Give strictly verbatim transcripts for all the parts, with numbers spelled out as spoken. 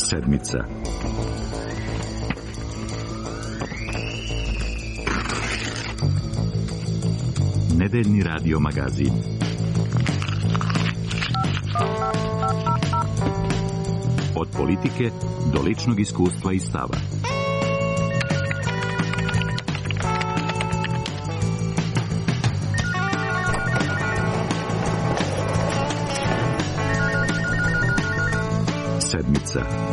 Sedmica. Nedeljni radio magazin. Od politike do ličnog iskustva i stava. Sedmica.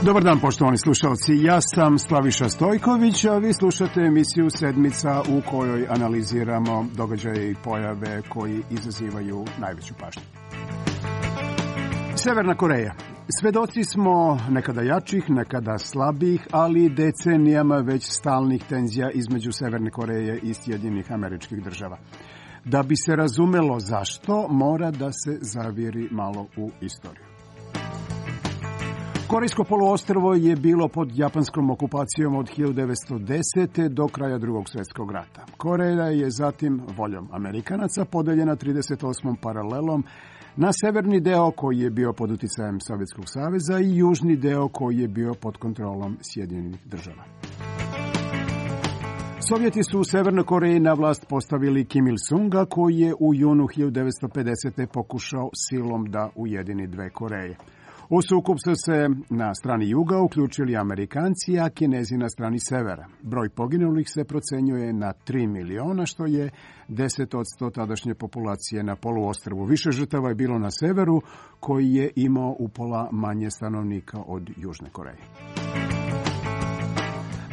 Dobar dan, poštovani slušalci. Ja sam Slaviša Stojković, a vi slušate emisiju Sedmica u kojoj analiziramo događaje i pojave koji izazivaju najveću pažnju. Severna Koreja. Svedoci smo nekada jačih, nekada slabih, ali decenijama već stalnih tenzija između Severne Koreje i Sjedinjenih Američkih Država. Da bi se razumelo zašto, mora da se zavjeri malo u istoriju. Korejsko poluostrvo je bilo pod japanskom okupacijom od hiljadu devetsto desete. do kraja Drugog svjetskog rata. Koreja je zatim, voljom Amerikanaca, podeljena trideset osmom paralelom na severni deo koji je bio pod uticajem Sovjetskog saveza i južni deo koji je bio pod kontrolom Sjedinjenih Država. Sovjeti su u Severnoj Koreji na vlast postavili Kim Il-sunga, koji je u junu hiljadu devetsto pedesete. pokušao silom da ujedini dve Koreje. U sukob su se na strani juga uključili Amerikanci, a Kinezi na strani severa. Broj poginulih se procenjuje na tri miliona, što je deset posto tadašnje populacije na poluostrvu. Više žrtava je bilo na severu, koji je imao upola manje stanovnika od Južne Koreje.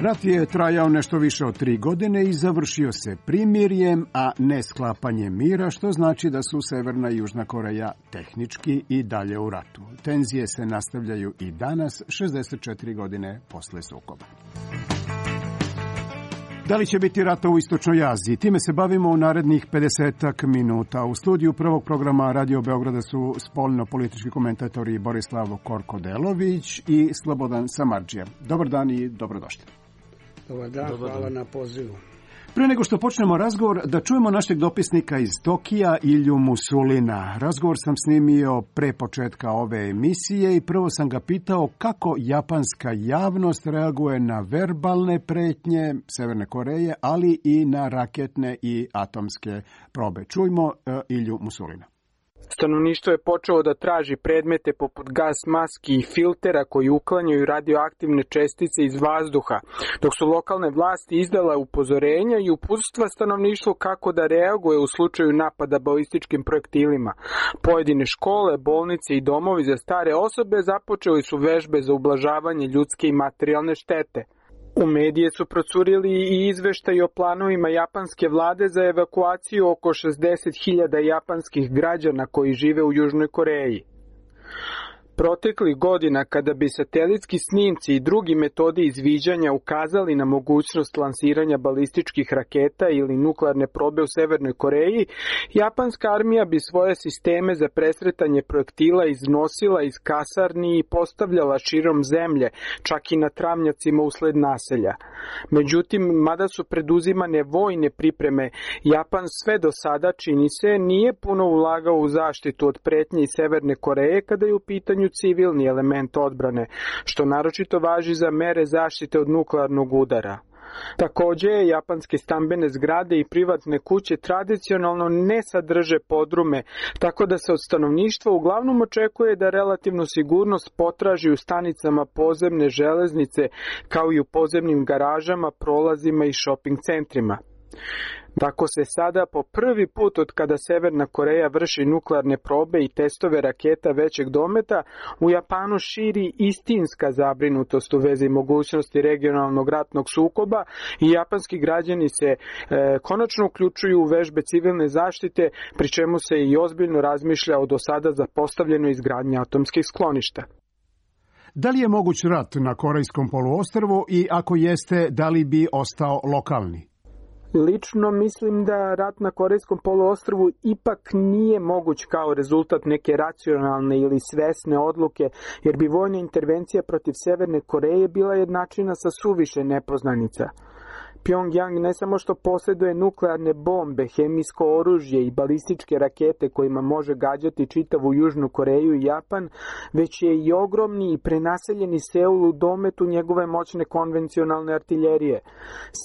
Rat je trajao nešto više od tri godine i završio se primirjem, a ne sklapanjem mira, što znači da su Severna i Južna Koreja tehnički i dalje u ratu. Tenzije se nastavljaju i danas, šezdeset četiri godine posle sukoba. Da li će biti rata u Istočnoj Aziji? Time se bavimo u narednih pedesetak minuta. U studiju prvog programa Radio Beograda su spoljno-politički komentatori Borislav Korkodelović i Slobodan Samardžija. Dobar dan i dobrodošli. Dobar dan, Dobar hvala dan. Na pozivu. Pre nego što počnemo razgovor, da čujemo našeg dopisnika iz Tokija, Ilju Musulina. Razgovor sam snimio pre početka ove emisije i prvo sam ga pitao kako japanska javnost reaguje na verbalne pretnje Severne Koreje, ali i na raketne i atomske probe. Čujmo uh, Ilju Musulina. Stanovništvo je počelo da traži predmete poput gas maski i filtera koji uklanjaju radioaktivne čestice iz vazduha, dok su lokalne vlasti izdala upozorenja i uputstva stanovništvu kako da reaguje u slučaju napada balističkim projektilima. Pojedine škole, bolnice i domovi za stare osobe započeli su vežbe za ublažavanje ljudske i materijalne štete. U medije su procurili i izveštaji o planovima japanske vlade za evakuaciju oko šezdeset hiljada japanskih građana koji žive u Južnoj Koreji. Proteklih godina, kada bi satelitski snimci i drugi metodi izviđanja ukazali na mogućnost lansiranja balističkih raketa ili nuklearne probe u Severnoj Koreji, japanska armija bi svoje sisteme za presretanje projektila iznosila iz kasarni i postavljala širom zemlje, čak i na travnjacima usled naselja. Međutim, mada su preduzimane vojne pripreme, Japan sve do sada, čini se, nije puno ulagao u zaštitu od pretnje iz Severne Koreje kada je u pitanju civilni element odbrane, što naročito važi za mere zaštite od nuklearnog udara. Također, japanske stambene zgrade i privatne kuće tradicionalno ne sadrže podrume, tako da se od stanovništva uglavnom očekuje da relativnu sigurnost potraži u stanicama podzemne železnice, kao i u podzemnim garažama, prolazima i šoping centrima. Tako se sada po prvi put od kada Severna Koreja vrši nuklearne probe i testove raketa većeg dometa, u Japanu širi istinska zabrinutost u vezi mogućnosti regionalnog ratnog sukoba i japanski građani se e, konačno uključuju u vežbe civilne zaštite, pri čemu se i ozbiljno razmišlja o do sada zapostavljenoj izgradnji atomskih skloništa. Da li je moguć rat na Korejskom poluostrvu i ako jeste, da li bi ostao lokalni? Lično mislim da rat na Korejskom poluostrvu ipak nije moguć kao rezultat neke racionalne ili svesne odluke, jer bi vojna intervencija protiv Severne Koreje bila jednačina sa suviše nepoznanica. Pjongjang ne samo što posjeduje nuklearne bombe, hemijsko oružje i balističke rakete kojima može gađati čitavu Južnu Koreju i Japan, već je i ogromni i prenaseljeni Seul u dometu njegove moćne konvencionalne artiljerije.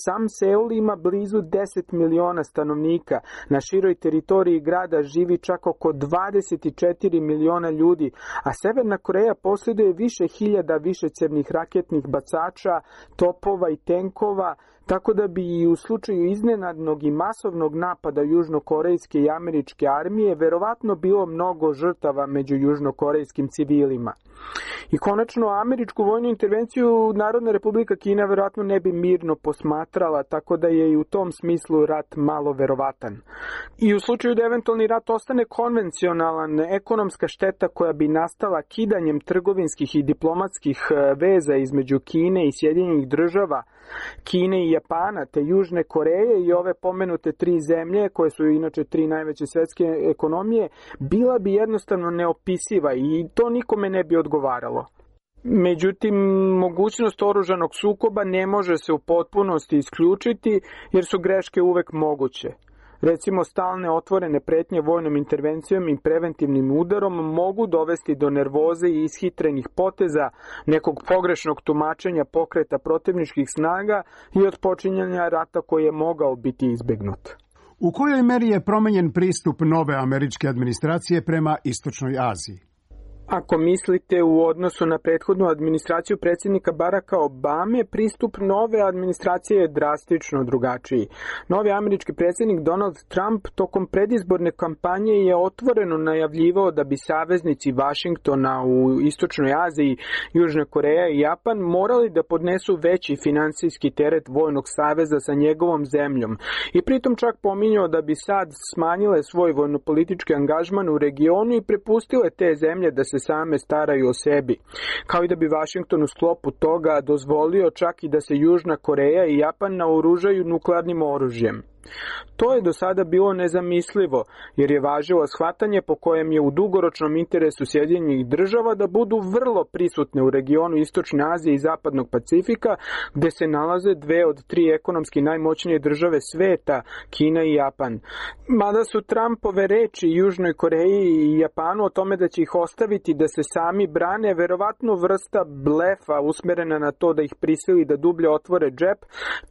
Sam Seul ima blizu deset miliona stanovnika, na široj teritoriji grada živi čak oko dvadeset četiri miliona ljudi, a Severna Koreja posjeduje više hiljada višecevnih raketnih bacača, topova i tenkova, tako da bi i u slučaju iznenadnog i masovnog napada južnokorejske i američke armije verovatno bilo mnogo žrtava među južnokorejskim civilima. I konačno, američku vojnu intervenciju Narodna Republika Kina verovatno ne bi mirno posmatrala, tako da je i u tom smislu rat malo verovatan. I u slučaju da eventualni rat ostane konvencionalan, ekonomska šteta koja bi nastala kidanjem trgovinskih i diplomatskih veza između Kine i Sjedinjenih Država, Kine i Japana, te Južne Koreje i ove pomenute tri zemlje, koje su inače tri najveće svetske ekonomije, bila bi jednostavno neopisiva i to nikome ne bi odgovaralo. Međutim, mogućnost oružanog sukoba ne može se u potpunosti isključiti, jer su greške uvek moguće. Recimo, stalne otvorene pretnje vojnom intervencijom i preventivnim udarom mogu dovesti do nervoze i ishitrenih poteza, nekog pogrešnog tumačenja pokreta protivničkih snaga i otpočinjanja rata koji je mogao biti izbegnut. U kojoj meri je promenjen pristup nove američke administracije prema Istočnoj Aziji? Ako mislite u odnosu na prethodnu administraciju predsjednika Baracka Obame, pristup nove administracije je drastično drugačiji. Novi američki predsjednik Donald Trump tokom predizborne kampanje je otvoreno najavljivao da bi saveznici Vašingtona u Istočnoj Aziji, Južna Koreja i Japan morali da podnesu veći finansijski teret vojnog saveza sa njegovom zemljom. I pritom čak pominjao da bi sad smanjile svoj vojnopolitički angažman u regionu i prepustile te zemlje da se same staraju o sebi, kao i da bi Vašington u sklopu toga dozvolio čak i da se Južna Koreja i Japan naoružaju nuklearnim oružjem. To je do sada bilo nezamislivo, jer je važilo shvatanje po kojem je u dugoročnom interesu Sjedinjenih Država da budu vrlo prisutne u regionu Istočne Azije i Zapadnog Pacifika, gde se nalaze dve od tri ekonomski najmoćnije države sveta, Kina i Japan. Mada su Trumpove reči Južnoj Koreji i Japanu o tome da će ih ostaviti da se sami brane, verovatno vrsta blefa usmerena na to da ih prisili da dublje otvore džep,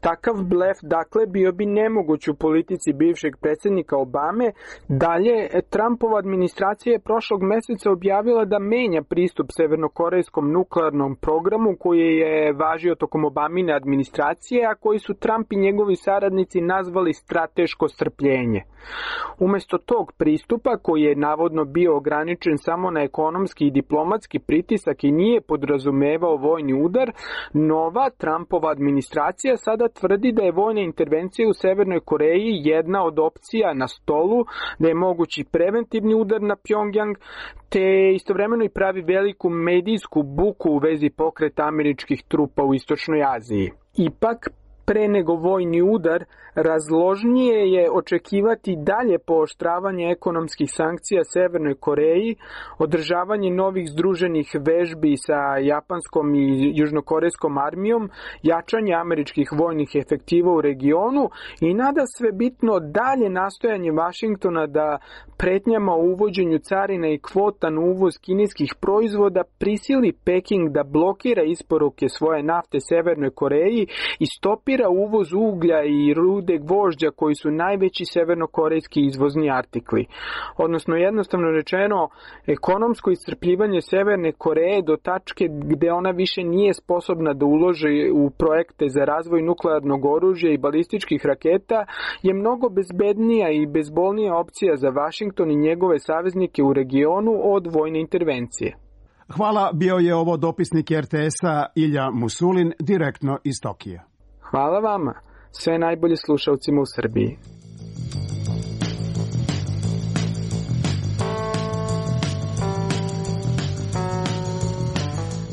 takav blef dakle bio bi nemoguć u politici bivšeg predsjednika Obame. Dalje, Trumpova administracija je prošlog meseca objavila da menja pristup severnokorejskom nuklearnom programu koji je važio tokom Obamine administracije, a koji su Trump i njegovi saradnici nazvali strateško strpljenje. Umjesto tog pristupa, koji je navodno bio ograničen samo na ekonomski i diplomatski pritisak i nije podrazumevao vojni udar, nova Trumpova administracija sada tvrdi da je vojna intervencija u Severnoj Koreji jedna od opcija na stolu, da je mogući preventivni udar na Pjongjang, te istovremeno i pravi veliku medijsku buku u vezi pokreta američkih trupa u Istočnoj Aziji. Ipak, pre nego vojni udar, razložnije je očekivati dalje pooštravanje ekonomskih sankcija Severnoj Koreji, održavanje novih združenih vežbi sa japanskom i južnokorejskom armijom, jačanje američkih vojnih efektiva u regionu i nada sve bitno dalje nastojanje Vašingtona da pretnjama o uvođenju carina i kvota na uvoz kineskih proizvoda prisili Peking da blokira isporuke svoje nafte Severnoj Koreji i stopira blokira uvoz uglja i rude gvožđa koji su najveći severnokorejski izvozni artikli. Odnosno, jednostavno rečeno, ekonomsko iscrpljivanje Severne Koreje do tačke gde ona više nije sposobna da uloži u projekte za razvoj nuklearnog oružja i balističkih raketa je mnogo bezbednija i bezbolnija opcija za Vašington i njegove saveznike u regionu od vojne intervencije. Hvala, bio je ovo dopisnik er te es-a Ilja Musulin, direktno iz Tokija. Hvala vama, sve najbolje slušalcima u Srbiji.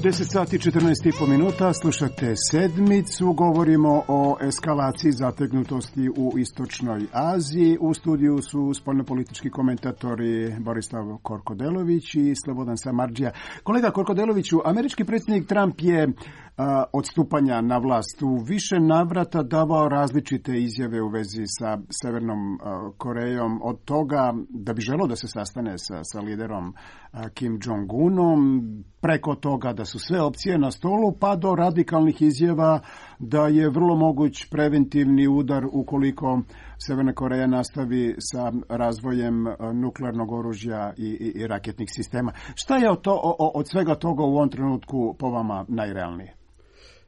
deset sati i četrnaest i po minuta, slušate Sedmicu, govorimo o eskalaciji zategnutosti u Istočnoj Aziji. U studiju su spoljnopolitički komentatori Borislav Korkodelović i Slobodan Samardžija. Kolega Korkodeloviću, američki predsjednik Trump je a, od stupanja na vlast u više navrata davao različite izjave u vezi sa Severnom a, Korejom, od toga da bi želeo da se sastane sa, sa liderom a, Kim Jong-unom, preko toga da su sve opcije na stolu, pa do radikalnih izjava da je vrlo moguć preventivni udar ukoliko Severna Koreja nastavi sa razvojem nuklearnog oružja i, i, i raketnih sistema. Šta je od, to, o, od svega toga u ovom trenutku po vama najrealnije?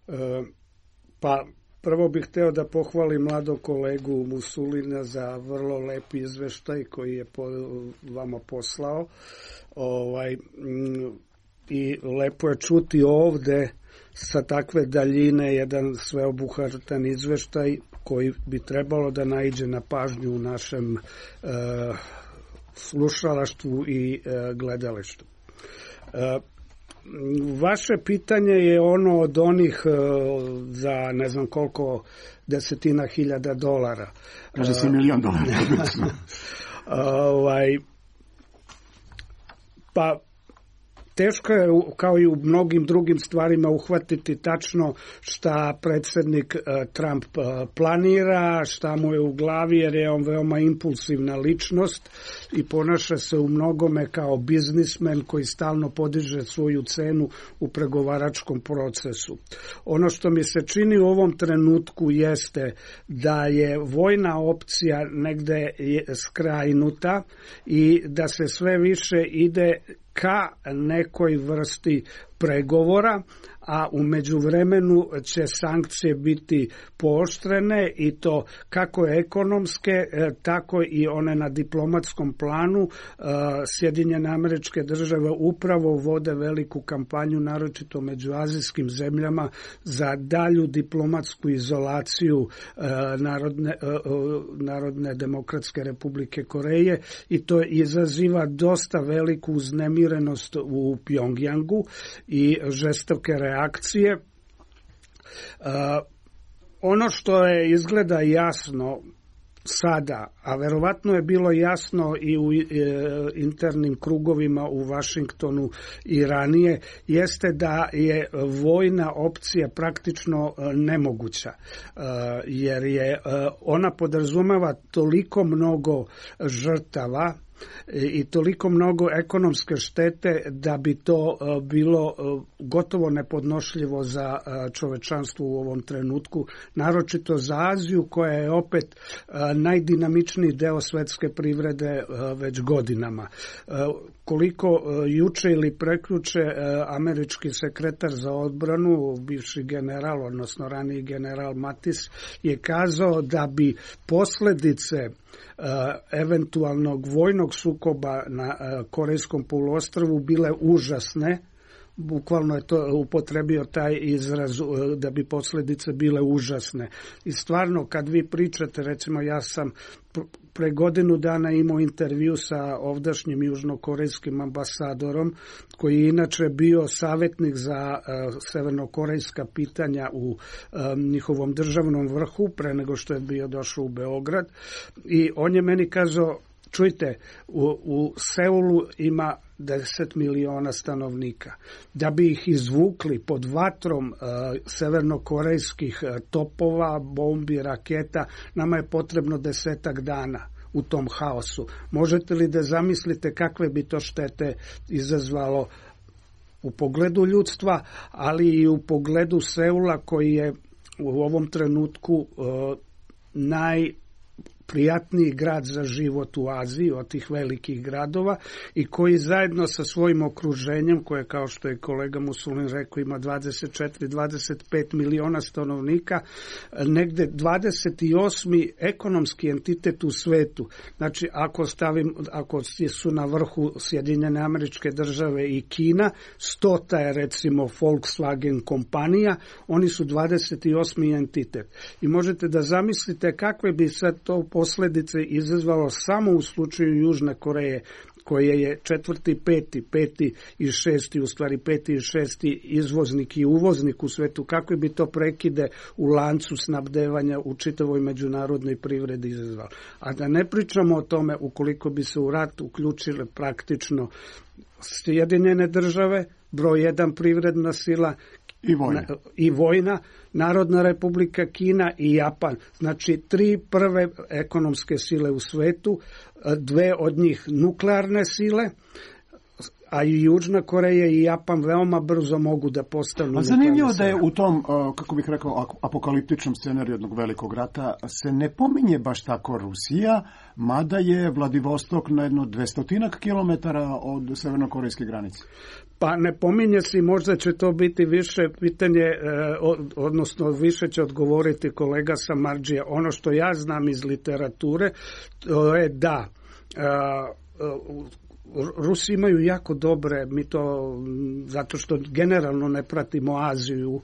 E, pa prvo bih hteo da pohvalim mladog kolegu Musulina za vrlo lepi izveštaj koji je po, vama poslao. Ovaj, m, I lepo je čuti ovde sa takve daljine jedan sveobuhvatan izveštaj koji bi trebalo da naiđe na pažnju u našem e, slušalaštvu i e, gledalištu. E, vaše pitanje je ono od onih e, za ne znam koliko desetina hiljada dolara. Kaže se milion dolara. ovaj, pa teško je, kao i u mnogim drugim stvarima, uhvatiti tačno šta predsjednik Trump planira, šta mu je u glavi, jer je on veoma impulsivna ličnost i ponaša se u mnogome kao biznismen koji stalno podiže svoju cenu u pregovaračkom procesu. Ono što mi se čini u ovom trenutku jeste da je vojna opcija negde skrajnuta i da se sve više ide ka nekoj vrsti pregovora, a u međuvremenu će sankcije biti pooštrene i to kako ekonomske, tako i one na diplomatskom planu. Sjedinjene Američke Države upravo vode veliku kampanju, naročito među azijskim zemljama, za dalju diplomatsku izolaciju Narodne, Narodne demokratske Republike Koreje i to izaziva dosta veliku uznemirenost u Pjongjangu i žestoke reakcije. Uh, ono što je izgleda jasno sada, a verovatno je bilo jasno i u e, internim krugovima u Vašingtonu i ranije, jeste da je vojna opcija praktično e, nemoguća, e, jer je e, ona podrazumeva toliko mnogo žrtava i toliko mnogo ekonomske štete da bi to bilo gotovo nepodnošljivo za čovečanstvo u ovom trenutku, naročito za Aziju koja je opet najdinamičniji deo svetske privrede već godinama. Koliko juče ili prekjuče američki sekretar za odbranu, bivši general, odnosno raniji general Matis, je kazao da bi posledice eventualnog vojnog sukoba na Korejskom poluostrvu bile užasne. Bukvalno je to upotrebio taj izraz da bi posljedice bile užasne. I stvarno kad vi pričate, recimo ja sam pre godinu dana imao intervju sa ovdašnjim južnokorejskim ambasadorom koji je inače bio savjetnik za uh, severnokorejska pitanja u um, njihovom državnom vrhu pre nego što je bio došao u Beograd i on je meni kazao, čujte, u, u Seulu ima deset miliona stanovnika. Da bi ih izvukli pod vatrom uh, severnokorejskih uh, topova, bombi, raketa, nama je potrebno desetak dana u tom haosu. Možete li da zamislite kakve bi to štete izazvalo u pogledu ljudstva, ali i u pogledu Seula koji je u ovom trenutku naj prijatniji grad za život u Aziji od tih velikih gradova i koji zajedno sa svojim okruženjem, koje kao što je kolega Musulin rekao ima dvadeset četiri do dvadeset pet miliona stanovnika, negde dvadeset osmi ekonomski entitet u svetu. Znači ako stavim, ako su na vrhu Sjedinjene Američke Države i Kina, stota je recimo Volkswagen kompanija, oni su dvadeset osmi entitet. I možete da zamislite kakve bi sad to posljedice izazvalo samo u slučaju Južne Koreje, koje je četvrti, peti, peti i šesti, u stvari peti i šesti izvoznik i uvoznik u svetu, kakve bi to prekide u lancu snabdevanja u čitavoj međunarodnoj privredi izazvalo. A da ne pričamo o tome ukoliko bi se u rat uključile praktično Sjedinjene Države, broj jedan privredna sila, I vojna. i vojna, Narodna Republika Kina i Japan. Znači tri prve ekonomske sile u svetu, dve od njih nuklearne sile, a i Južna Koreja i Japan veoma brzo mogu da postanu. A zanimljivo da je u tom, kako bih rekao, apokaliptičnom scenariju jednog velikog rata se ne pominje baš tako Rusija, mada je Vladivostok na jedno dvestotinak kilometara od severnokorejske granice. Pa ne pominje se i možda će to biti više pitanje, odnosno više će odgovoriti kolega Samardžija. Ono što ja znam iz literature, to je da Rusi imaju jako dobre, mi to, zato što generalno ne pratimo Aziju, uh,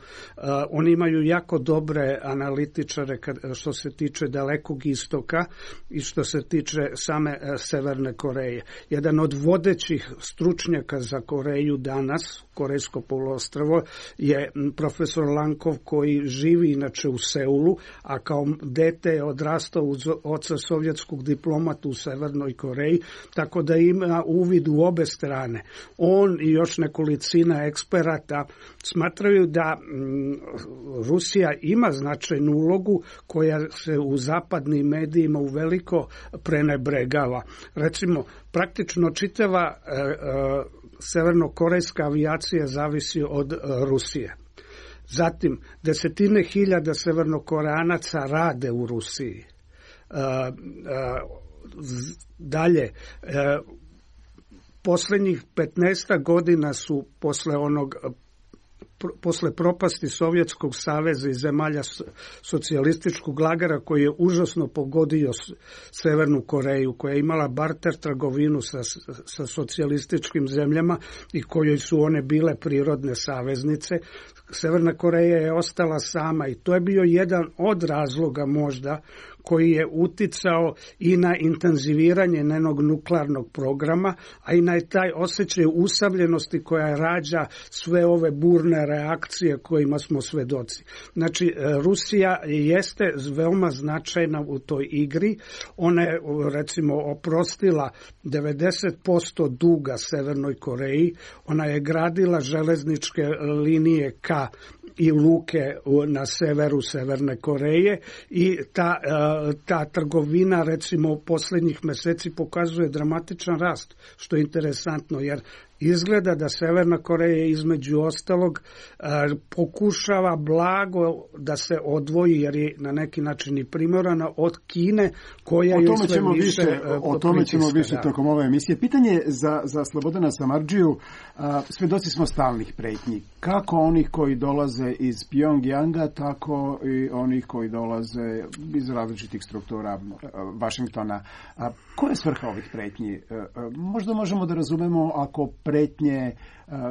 oni imaju jako dobre analitičare kad, što se tiče Dalekog istoka i što se tiče same uh, Severne Koreje. Jedan od vodećih stručnjaka za Koreju danas, Korejsko poluostrvo, je profesor Lankov koji živi inače u Seulu, a kao dete je odrastao uz oca sovjetskog diplomata u Severnoj Koreji, tako da ima uvid u obe strane. On i još nekolicina eksperata smatraju da m, Rusija ima značajnu ulogu koja se u zapadnim medijima uveliko prenebregava. Recimo, praktično čitava e, e, severnokorejska avijacija zavisi od e, Rusije. Zatim, desetine hiljada severnokoreanaca rade u Rusiji. E, e, dalje, e, Poslednjih petnaest godina su posle onog posle propasti Sovjetskog saveza i zemalja socijalističkog lagera koji je užasno pogodio Severnu Koreju, koja je imala barter trgovinu sa, sa socijalističkim zemljama i kojoj su one bile prirodne saveznice. Severna Koreja je ostala sama i to je bio jedan od razloga možda koji je uticao i na intenziviranje njenog nuklearnog programa, a i na taj osjećaj usamljenosti koja rađa sve ove burne reakcije kojima smo svedoci. Znači, Rusija jeste veoma značajna u toj igri. Ona je, recimo, oprostila devedeset posto duga Severnoj Koreji. Ona je gradila železničke linije ka i luke na severu Severne Koreje i ta, ta trgovina recimo posljednjih meseci pokazuje dramatičan rast, što je interesantno jer izgleda da Severna Koreja između ostalog pokušava blago da se odvoji jer je na neki način i primorana od Kine koja je sve više više o tome ćemo više da. Tokom ove emisije. Pitanje za, za Slobodana Samardžiju, svedoci smo stalnih pretnji, kako onih koji dolaze iz Pjongjanga, tako i onih koji dolaze iz različitih struktura Vašingtona. A koja je svrha ovih pretnji? Možda možemo da razumemo ako pretnje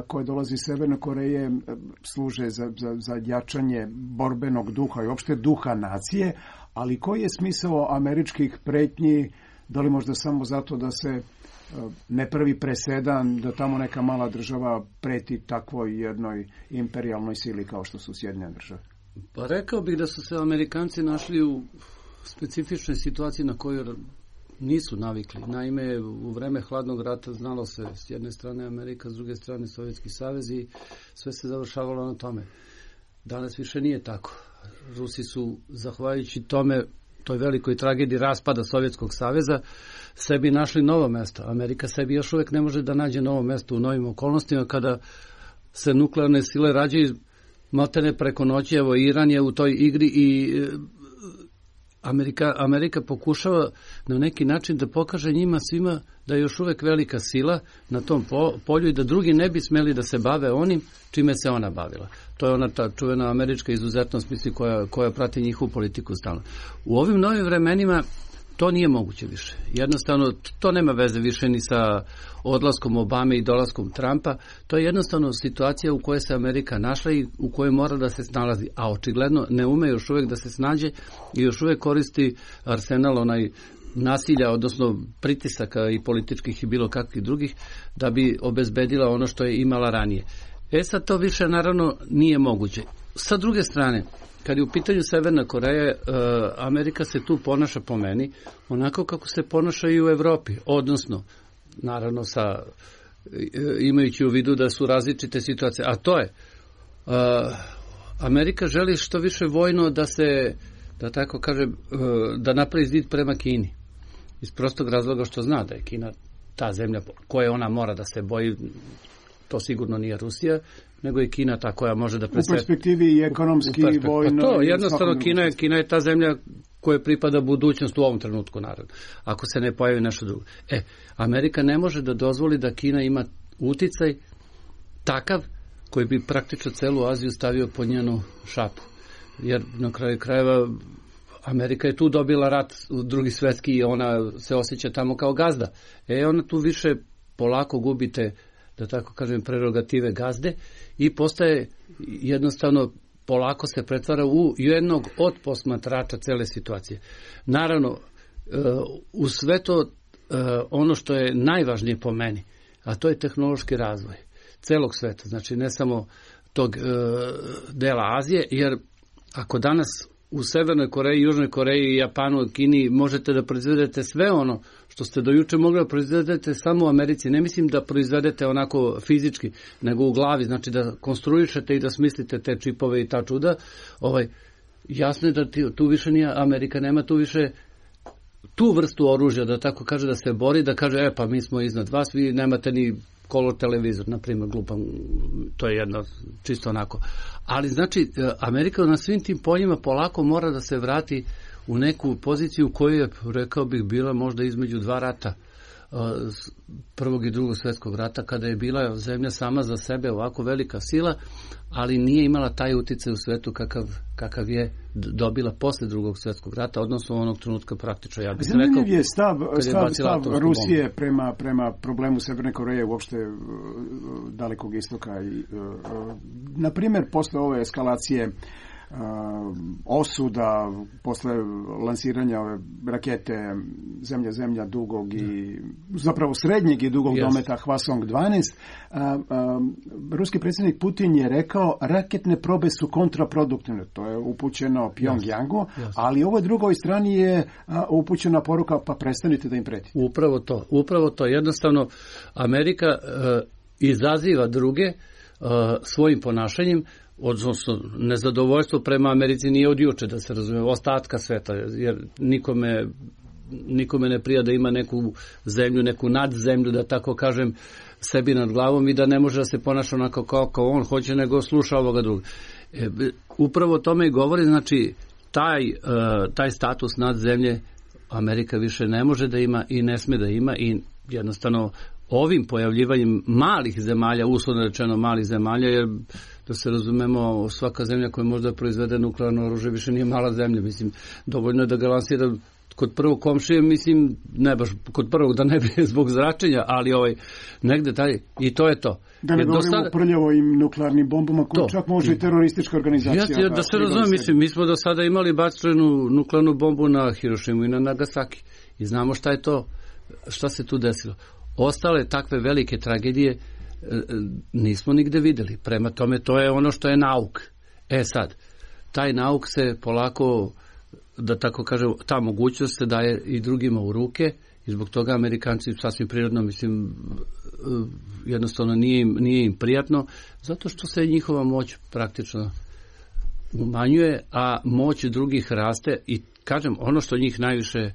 koje dolazi iz Severne Koreje služe za, za, za jačanje borbenog duha i uopšte duha nacije, ali koji je smisao američkih pretnji? Da li možda samo zato da se ne pravi presedan da tamo neka mala država preti takvoj jednoj imperijalnoj sili kao što su Sjedinjene Države? Pa rekao bih da su se Amerikanci našli u specifičnoj situaciji na koju nisu navikli. Naime, u vreme hladnog rata znalo se s jedne strane Amerika, s druge strane Sovjetski savez i sve se završavalo na tome. Danas više nije tako. Rusi su, zahvaljujući tome, toj velikoj tragediji raspada Sovjetskog saveza, sebi našli novo mesto. Amerika sebi još uvek ne može da nađe novo mesto u novim okolnostima kada se nuklearne sile rađaju maltene preko noći, evo Iran je u toj igri i Amerika, Amerika pokušava na neki način da pokaže njima svima da je još uvek velika sila na tom polju i da drugi ne bi smeli da se bave onim čime se ona bavila. To je ona ta čuvena američka izuzetnost, misli, koja, koja prati njihovu politiku stalno. U ovim novim vremenima to nije moguće više. Jednostavno, to nema veze više ni sa odlaskom Obame i dolaskom Trumpa. To je jednostavno situacija u kojoj se Amerika našla i u kojoj mora da se snalazi. A očigledno ne ume još uvek da se snađe i još uvek koristi arsenal onaj nasilja, odnosno pritisaka i političkih i bilo kakvih drugih, da bi obezbedila ono što je imala ranije. E sad to više naravno nije moguće. Sa druge strane, kad je u pitanju Severna Koreja, Amerika se tu ponaša po meni onako kako se ponaša i u Evropi, odnosno, naravno sa, imajući u vidu da su različite situacije, a to je, Amerika želi što više vojno da se, da tako kažem, da napravi zid prema Kini. Iz prostog razloga što zna da je Kina ta zemlja koje ona mora da se boji, to sigurno nije Rusija, nego je Kina ta koja može da presve... U perspektivi i ekonomski i vojno... Pa to, jednostavno Kina je, Kina je ta zemlja koja pripada budućnost u ovom trenutku, naravno. Ako se ne pojavi nešto drugo. E, Amerika ne može da dozvoli da Kina ima uticaj takav koji bi praktično celu Aziju stavio pod njenu šapu. Jer na kraju krajeva Amerika je tu dobila rat u drugi svetski i ona se osjeća tamo kao gazda. E, ona tu više polako gubite, da tako kažem, prerogative gazde i postaje jednostavno, polako se pretvara u jednog od posmatrača cele situacije. Naravno, u sve to ono što je najvažnije po meni, a to je tehnološki razvoj celog sveta, znači ne samo tog dela Azije, jer ako danas u Severnoj Koreji, Južnoj Koreji, Japanu, Kini možete da proizvedete sve ono što ste do juče mogli da proizvedete samo u Americi. Ne mislim da proizvedete onako fizički, nego u glavi, znači da konstruišete i da smislite te čipove i ta čuda. Ovaj, jasno je da tu više nije Amerika, nema tu više tu vrstu oružja, da tako kaže, da se bori, da kaže, e pa mi smo iznad vas, vi nemate ni kolor televizor, na primjer, glupan, to je jedno čisto onako. Ali znači, Amerika na svim tim poljima polako mora da se vrati u neku poziciju koju je, rekao bih, bila možda između dva rata, prvog i drugog svjetskog rata, kada je bila zemlja sama za sebe ovako velika sila, ali nije imala taj uticaj u svetu kakav, kakav je dobila posle drugog svjetskog rata, odnosno onog trenutka praktično, ja bih rekao. Zanimljiv je stav, stav, stav Rusije prema, prema problemu Severne Koreje, uopšte Dalekog istoka. I, na primjer, posle ove eskalacije Uh, osuda posle lansiranja ove rakete zemlja zemlja dugog i zapravo srednjeg i dugog yes. dometa Hwasong dvanaest, uh, uh, ruski predsjednik Putin je rekao raketne probe su kontraproduktivne, to je upućeno Pjongjangu, yes. yes. ali ovoj drugoj strani je uh, upućena poruka, pa prestanite da im pretite. Upravo to, upravo to, jednostavno Amerika uh, izaziva druge uh, svojim ponašanjem, odnosno nezadovoljstvo prema Americi nije od juče, da se razume, ostatka sveta, jer nikome, nikome ne prija da ima neku zemlju, neku nadzemlju, da tako kažem, sebi nad glavom i da ne može da se ponaša onako kao, kao on hoće, nego sluša ovoga druga. E, upravo tome i govori, znači, taj, uh, taj status nadzemlje Amerika više ne može da ima i ne sme da ima i jednostavno ovim pojavljivanjem malih zemalja, uslovno rečeno malih zemalja, jer da se razumemo, svaka zemlja koja može da proizvede nuklearno oružje više nije mala zemlja, mislim, dovoljno je da ga lansira kod prvog komšije, mislim, ne baš kod prvog da ne bi zbog zračenja, ali ovaj, negde taj, i to je to. Da ne govorimo sada o prljavojim nuklearnim bombama, koje čak može i teroristička organizacija. Ja, da, da se razumem, mislim, mi smo do sada imali bačenu nuklearnu bombu na Hirošimu i na Nagasaki i znamo šta je to, šta se tu desilo. Ostale takve velike tragedije nismo nigde videli. Prema tome, to je ono što je nauk. E sad, taj nauk se polako, da tako kažem, ta mogućnost se daje i drugima u ruke i zbog toga Amerikanci sasvim prirodno, mislim, jednostavno nije im, nije im prijatno, zato što se njihova moć praktično umanjuje, a moć drugih raste i, kažem, ono što njih najviše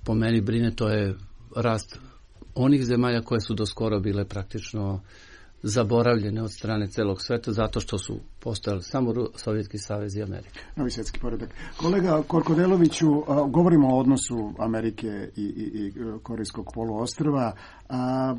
po meni brine, to je rast onih zemalja koje su do skoro bile praktično zaboravljene od strane celog sveta zato što su postojali samo Sovjetski savez i Amerika. Novi svjetski poredak. Kolega Korkodeloviću, govorimo o odnosu Amerike i, i, i Korejskog poluostrva. A,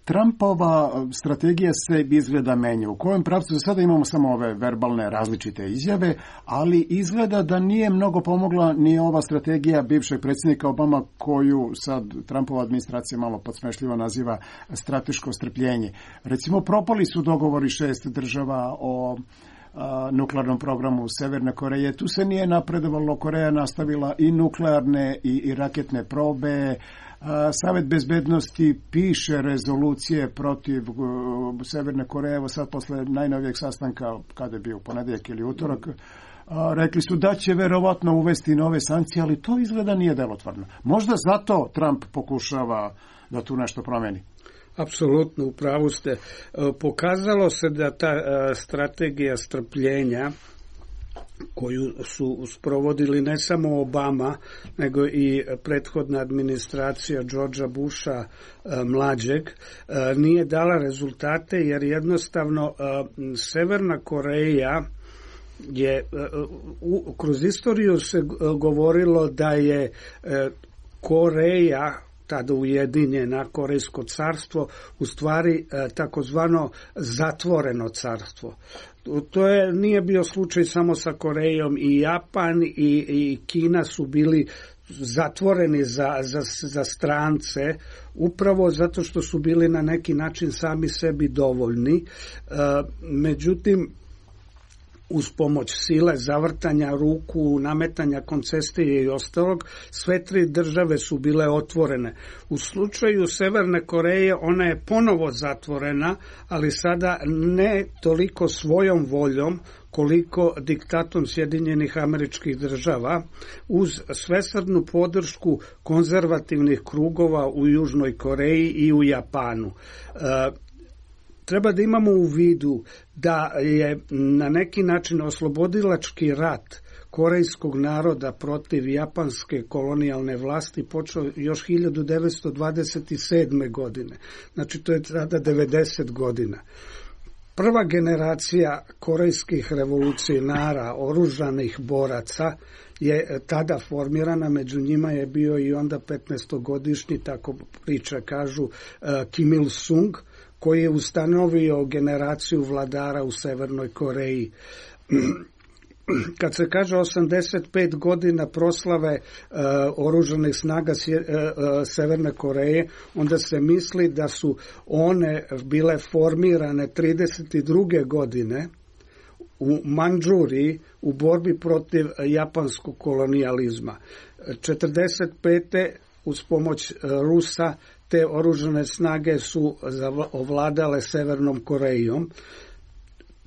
Trumpova strategija se izgleda menja. U kojem pravcu za sada imamo samo ove verbalne različite izjave, ali izgleda da nije mnogo pomogla ni ova strategija bivšeg predsjednika Obama, koju sad Trumpova administracija malo podsmešljivo naziva strateško strpljenje. Recimo, propali su dogovori šest država o a, nuklearnom programu Severne Koreje. Tu se nije napredovalo. Koreja nastavila i nuklearne i, i raketne probe. Savet bezbednosti piše rezolucije protiv uh, Severne Koreje, evo sad posle najnovijeg sastanka, kada je bio ponedeljak ili utorak, uh, rekli su da će verovatno uvesti nove sankcije, ali to izgleda nije delotvorno. Možda zato Trump pokušava da tu nešto promeni. Apsolutno, u pravu ste. Pokazalo se da ta strategija strpljenja koju su sprovodili ne samo Obama, nego i prethodna administracija Georgea Busha mlađeg, nije dala rezultate, jer jednostavno Severna Koreja je, kroz istoriju se govorilo da je Koreja, tada ujedinjena Korejsko carstvo, u stvari takozvano zatvoreno carstvo. To je, nije bio slučaj samo sa Korejom, i Japan i, i Kina su bili zatvoreni za, za, za strance, upravo zato što su bili na neki način sami sebi dovoljni. E, međutim, uz pomoć sile, zavrtanja ruku, nametanja koncesije i ostalog, sve tri države su bile otvorene. U slučaju Severne Koreje ona je ponovo zatvorena, ali sada ne toliko svojom voljom, koliko diktatom Sjedinjenih Američkih Država, uz svesrdnu podršku konzervativnih krugova u Južnoj Koreji i u Japanu. E, Treba da imamo u vidu da je na neki način oslobodilački rat korejskog naroda protiv japanske kolonijalne vlasti počeo još hiljadu devetsto dvadeset sedme. godine. Znači, to je tada devedeset godina. Prva generacija korejskih revolucionara, oružanih boraca, je tada formirana, među njima je bio i onda petnaestogodišnji, tako priče kažu, Kim Il-sung, koji je ustanovio generaciju vladara u Severnoj Koreji. Kad se kaže osamdeset pet godina proslave uh, oružanih snaga sje, uh, Severne Koreje, onda se misli da su one bile formirane trideset druge godine u Mandžuriji u borbi protiv japanskog kolonijalizma. četrdeset pete uz pomoć Rusa te oružane snage su ovladale Severnom Korejom.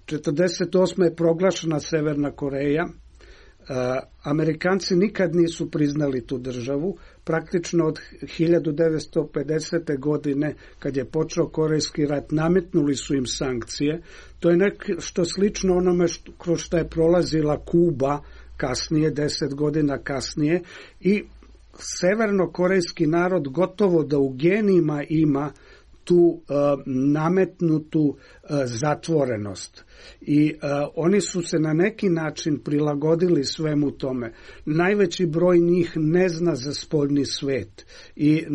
četrdeset osme je proglašena Severna Koreja. Amerikanci nikad nisu priznali tu državu. Praktično od hiljadu devetsto pedesete. godine, kad je počeo Korejski rat, nametnuli su im sankcije. To je nešto slično onome što, kroz što je prolazila Kuba kasnije, deset godina kasnije, i severnokorejski narod gotovo da u genima ima tu uh, nametnutu uh, zatvorenost. I uh, oni su se na neki način prilagodili svemu tome. Najveći broj njih ne zna za spoljni svet i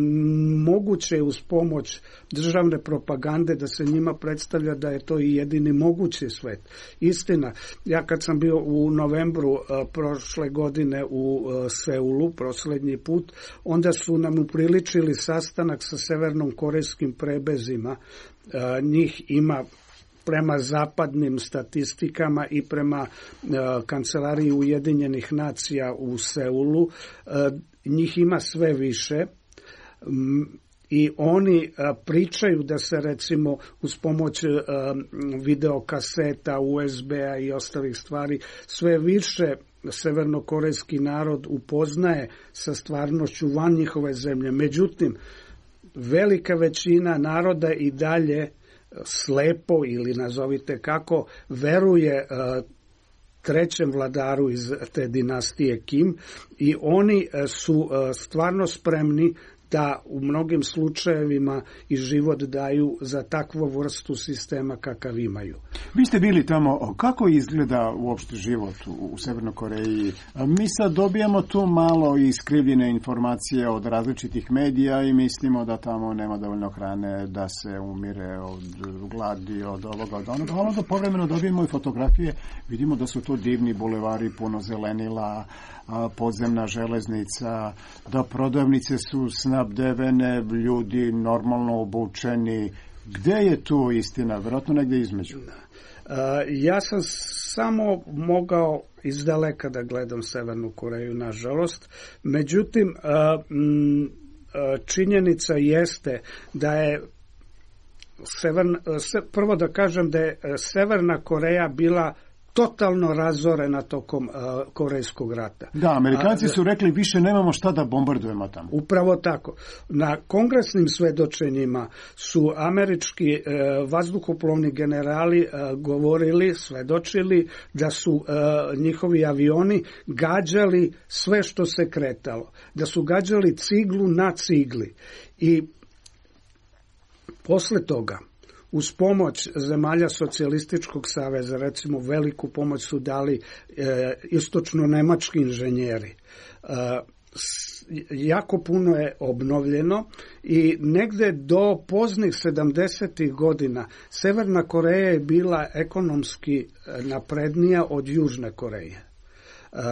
moguće je uz pomoć državne propagande da se njima predstavlja da je to i jedini mogući svet. Istina, ja kad sam bio u novembru uh, prošle godine u uh, Seulu, proslednji put, onda su nam upriličili sastanak sa severnokorejskim prebezima. Uh, njih ima prema zapadnim statistikama i prema uh, Kancelariji Ujedinjenih nacija u Seulu, uh, njih ima sve više. Um, I oni uh, pričaju da se, recimo, uz pomoć uh, videokaseta, U S B-a i ostalih stvari, sve više severnokorejski narod upoznaje sa stvarnošću van njihove zemlje. Međutim, velika većina naroda i dalje slepo, ili nazovite kako, veruje uh, trećem vladaru iz te dinastije Kim, i oni uh, su uh, stvarno spremni da u mnogim slučajevima i život daju za takvu vrstu sistema kakav imaju. Vi ste bili tamo, kako izgleda uopšte život u Severnoj Koreji? Mi sad dobijamo tu malo iskrivljene informacije od različitih medija i mislimo da tamo nema dovoljno hrane, da se umire od gladi, od ovoga, od onoga. Onda povremeno dobijemo i fotografije, vidimo da su to divni bulevari, puno zelenila, podzemna železnica, da prodavnice su snabdevene, ljudi normalno obučeni. Gde je tu istina? Vjerojatno negde između. Ja sam samo mogao izdaleka da gledam Severnu Koreju, nažalost. Međutim, činjenica jeste da je Severna, prvo da kažem da je Severna Koreja bila totalno razorena tokom uh, Korejskog rata. Da, Amerikanci su rekli više nemamo šta da bombardujemo tamo. Upravo tako. Na kongresnim svedočenjima su američki uh, vazduhoplovni generali uh, govorili, svedočili da su uh, njihovi avioni gađali sve što se kretalo. Da su gađali ciglu na cigli. I posle toga, uz pomoć zemalja Socijalističkog saveza, recimo veliku pomoć su dali e, istočno-nemački inženjeri. E, s, jako puno je obnovljeno i negde do poznih sedamdesetih godina Severna Koreja je bila ekonomski naprednija od Južne Koreje. E, e,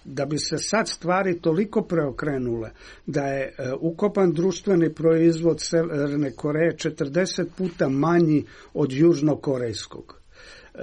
da bi se sad stvari toliko preokrenule da je e, ukopan društveni proizvod Severne Koreje četrdeset puta manji od južnokorejskog. E,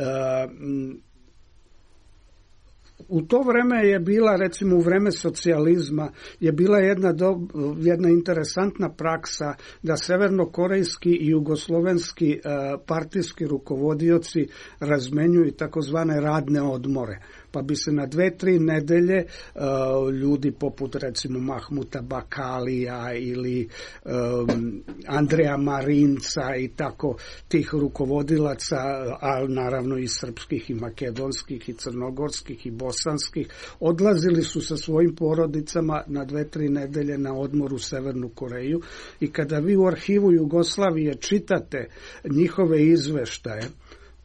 u to vreme je bila, recimo u vreme socijalizma, je bila jedna, do, jedna interesantna praksa da severnokorejski i jugoslovenski e, partijski rukovodioci razmenjuju takozvane radne odmore. Pa bi se na dve, tri nedelje uh, ljudi poput recimo Mahmuta Bakalija ili um, Andreja Marinca i tako tih rukovodilaca, a naravno i srpskih i makedonskih i crnogorskih i bosanskih, odlazili su sa svojim porodicama na dve, tri nedelje na odmor u Severnu Koreju i kada vi u arhivu Jugoslavije čitate njihove izveštaje,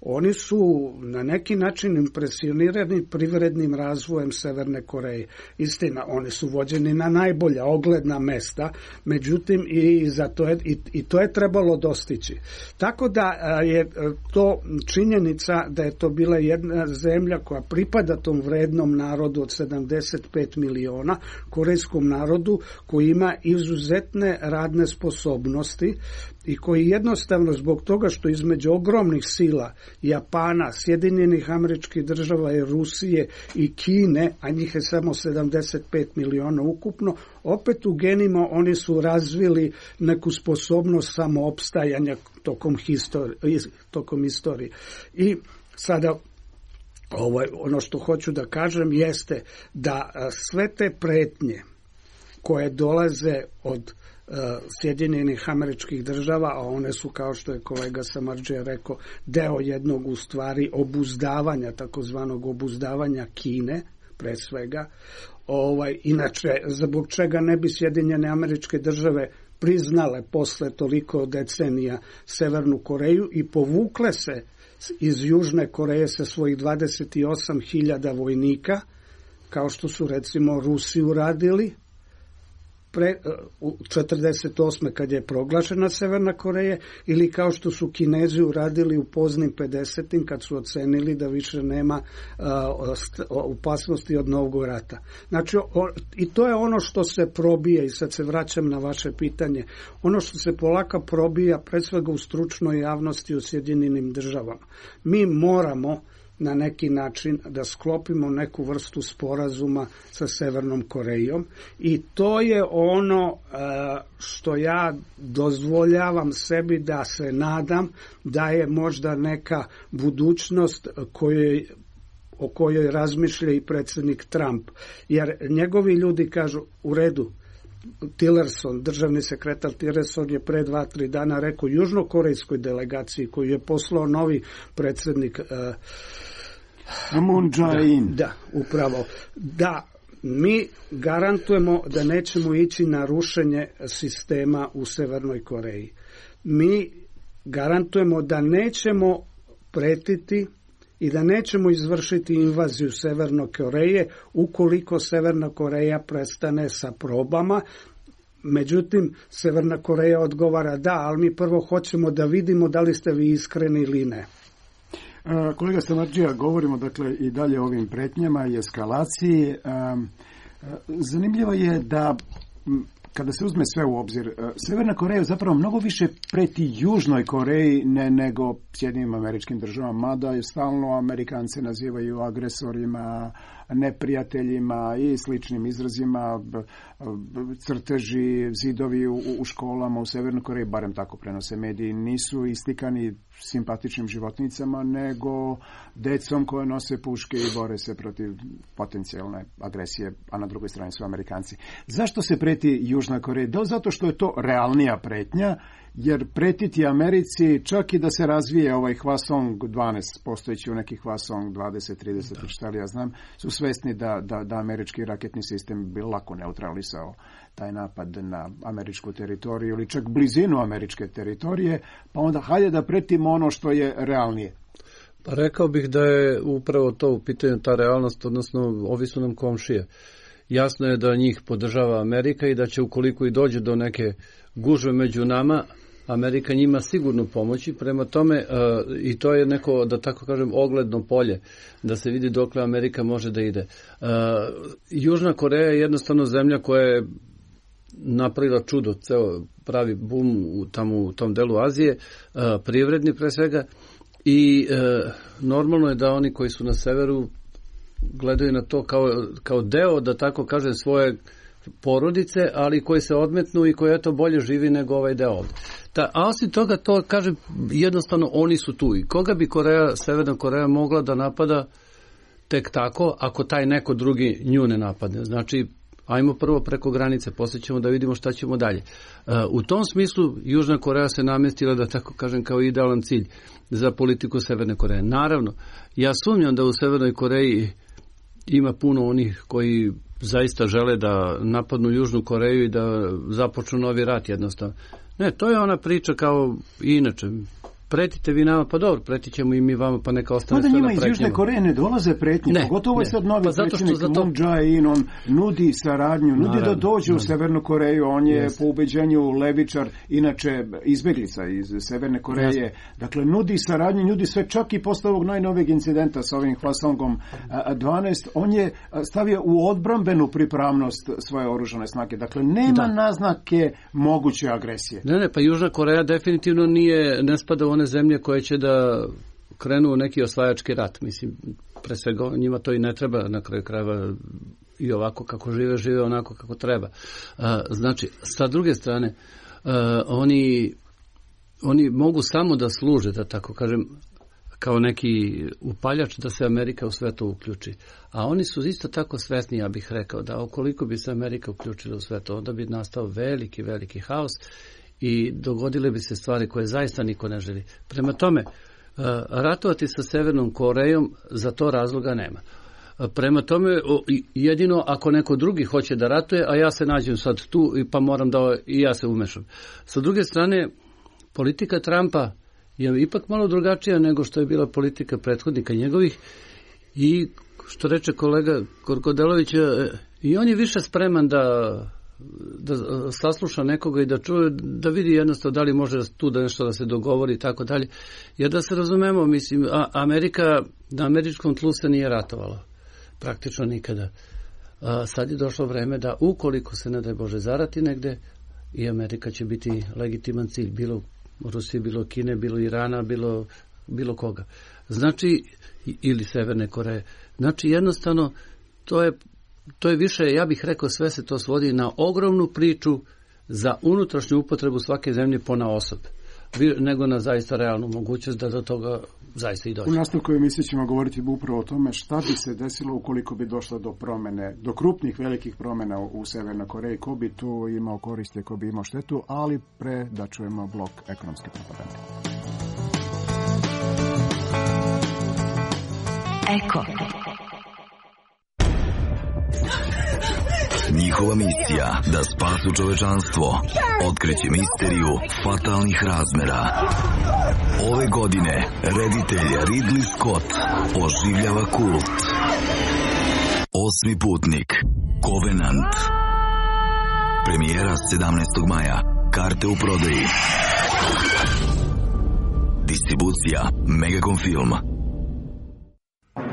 oni su na neki način impresionirani privrednim razvojem Severne Koreje. Istina, oni su vođeni na najbolja ogledna mesta, međutim i, za to je, i, i to je trebalo dostići. Tako da je to činjenica da je to bila jedna zemlja koja pripada tom vrednom narodu od sedamdeset pet miliona, korejskom narodu koji ima izuzetne radne sposobnosti i koji jednostavno zbog toga što između ogromnih sila Japana, Sjedinjenih Američkih Država i Rusije i Kine, a njih je samo sedamdeset pet miliona ukupno, opet u genima oni su razvili neku sposobnost samoopstajanja tokom, histori, tokom istorije. I sada ovaj, ono što hoću da kažem jeste da sve te pretnje koje dolaze od Sjedinjenih Američkih Država, a one su, kao što je kolega Samardžija rekao, deo jednog u stvari obuzdavanja, takozvanog obuzdavanja Kine, pre svega. Ovaj, inače, zbog čega ne bi Sjedinjene Američke Države priznale posle toliko decenija Severnu Koreju i povukle se iz Južne Koreje sa svojih dvadeset osam hiljada vojnika, kao što su recimo Rusi uradili, Pre, u četrdeset osme kad je proglašena Severna Koreja, ili kao što su Kinezi uradili u poznim pedesetim kad su ocenili da više nema uh, opasnosti od novog rata. Znači, o, i to je ono što se probije, i sad se vraćam na vaše pitanje, ono što se polaka probija pred svega u stručnoj javnosti u Sjedinjenim Državama. Mi moramo na neki način da sklopimo neku vrstu sporazuma sa Severnom Korejom i to je ono što ja dozvoljavam sebi da se nadam da je možda neka budućnost kojoj, o kojoj razmišlja i predsjednik Trump. Jer njegovi ljudi kažu u redu, Tillerson, državni sekretar Tillerson je pre dva, tri dana rekao južnokorejskoj delegaciji koju je poslao novi predsjednik uh, Moon Jae-in. Da, upravo. Da, Mi garantujemo da nećemo ići na rušenje sistema u Severnoj Koreji. Mi garantujemo da nećemo pretiti i da nećemo izvršiti invaziju Severne Koreje ukoliko Severna Koreja prestane sa probama. Međutim, Severna Koreja odgovara da, ali mi prvo hoćemo da vidimo da li ste vi iskreni ili ne. Kolega Samardžija, govorimo dakle i dalje o ovim pretnjama i eskalaciji. Zanimljivo je da kada se uzme sve u obzir, Severna Koreja zapravo mnogo više preti Južnoj Koreji ne nego Sjedinjenim Američkim Državama, mada je stalno Amerikanci nazivaju agresorima, neprijateljima i sličnim izrazima, crteži, zidovi u, u školama u Severnoj Koreji, barem tako prenose mediji, nisu istikani simpatičnim životnicama, nego decom koje nose puške i bore se protiv potencijalne agresije, a na drugoj strani su Amerikanci. Zašto se preti Južna Koreja? Da, zato što je to realnija pretnja, jer pretiti Americi, čak i da se razvije ovaj Hwasong dvanaest, postojeći u neki Hwasong dvadeset, trideset, da. Šta li ja znam, su svesni da, da, da američki raketni sistem bi lako neutralisao taj napad na američku teritoriju ili čak blizinu američke teritorije, pa onda hajde da pretimo ono što je realnije. Pa rekao bih da je upravo to u pitanju ta realnost, odnosno ovi su nam komšije. Jasno je da njih podržava Amerika i da će ukoliko i dođe do neke gužve među nama, Amerika njima sigurno pomoći, prema tome uh, i to je neko, da tako kažem, ogledno polje, da se vidi dokle Amerika može da ide. Uh, Južna Koreja je jednostavno zemlja koja je napravila čudo, ceo pravi bum u, tamo, u tom delu Azije, uh, privredni pre svega, i uh, normalno je da oni koji su na severu gledaju na to kao, kao deo, da tako kažem, svoje porodice, ali koji se odmetnu i koji eto bolje živi nego ovaj deo ovde. Ta, a osim toga, to kažem, jednostavno oni su tu. I koga bi Koreja, Severna Koreja mogla da napada tek tako, ako taj neko drugi nju ne napadne? Znači, ajmo prvo preko granice, poslije ćemo da vidimo šta ćemo dalje. Uh, u tom smislu, Južna Koreja se namestila, da tako kažem, kao idealan cilj za politiku Severne Koreje. Naravno, ja sumnjam da u Severnoj Koreji ima puno onih koji zaista žele da napadnu Južnu Koreju i da započnu novi rat jednostavno. Ne, to je ona priča kao i inače. Pretite vi nama, pa dobro, pretit ćemo i mi vama, pa neka ostane sve na pretnjama. Njima iz Južne Koreje ne dolaze pretnje, ne, pogotovo je sad novi pa predsjednik zato... Moon Jae-in, on nudi saradnju, nudi naravno, da dođe naravno. u Severnu Koreju, on je yes. po ubeđenju levičar, inače izbeglica iz Severne Koreje, yes. dakle nudi saradnju, nudi sve, čak i posle ovog najnovijeg incidenta sa ovim Hwasongom dvanaest, on je stavio u odbrambenu pripravnost svoje oružane snage, dakle nema da. naznake moguće agresije. Ne, ne, pa Južna Koreja definitivno nije, ne spada u one zemlje koje će da krenu u neki osvajački rat. Mislim, pre svega njima to i ne treba, na kraju krajeva i ovako kako žive, žive onako kako treba. A, znači, sa druge strane, a, oni, oni mogu samo da služe, da tako kažem, kao neki upaljač da se Amerika u sve to uključi. A oni su isto tako svesni, ja bih rekao, da ukoliko bi se Amerika uključila u sve to, onda bi nastao veliki, veliki haos i dogodile bi se stvari koje zaista niko ne želi. Prema tome, ratovati sa Severnom Korejom za to razloga nema. Prema tome, jedino ako neko drugi hoće da ratuje, a ja se nađem sad tu pa moram da i ja se umešam. Sa druge strane, politika Trumpa je ipak malo drugačija nego što je bila politika prethodnika njegovih i što reče kolega Korkodelović, i on je više spreman da da sasluša nekoga i da čuje, da vidi jednostavno da li može tu da nešto da se dogovori i tako dalje. Jer da se razumemo, mislim, a Amerika, na američkom tlu se nije ratovala. Praktično nikada. A sad je došlo vreme da ukoliko se, ne daj Bože, zarati negde, i Amerika će biti legitiman cilj, bilo Rusije, bilo Kine, bilo Irana, bilo, bilo koga. Znači, ili Severne Koreje. Znači, jednostavno, to je To je više, ja bih rekao, sve se to svodi na ogromnu priču za unutrašnju upotrebu svake zemlje ponaosob, nego na zaista realnu mogućnost da do toga zaista i dođe. U nastavku emisije ćemo govoriti upravo o tome šta bi se desilo ukoliko bi došlo do promene, do krupnih velikih promena u Severnoj Koreji, ko bi tu imao koriste, ko bi imao štetu, ali pre da čujemo blok ekonomske propagande. Eko. Njihova misija da spasu čovečanstvo, otkriće misteriju fatalnih razmera. Ove godine reditelj Ridley Scott oživljava kult. Osmi putnik, Covenant. Premijera sedamnaestog maja. Karte u prodaji. Distribucija Megacom Film.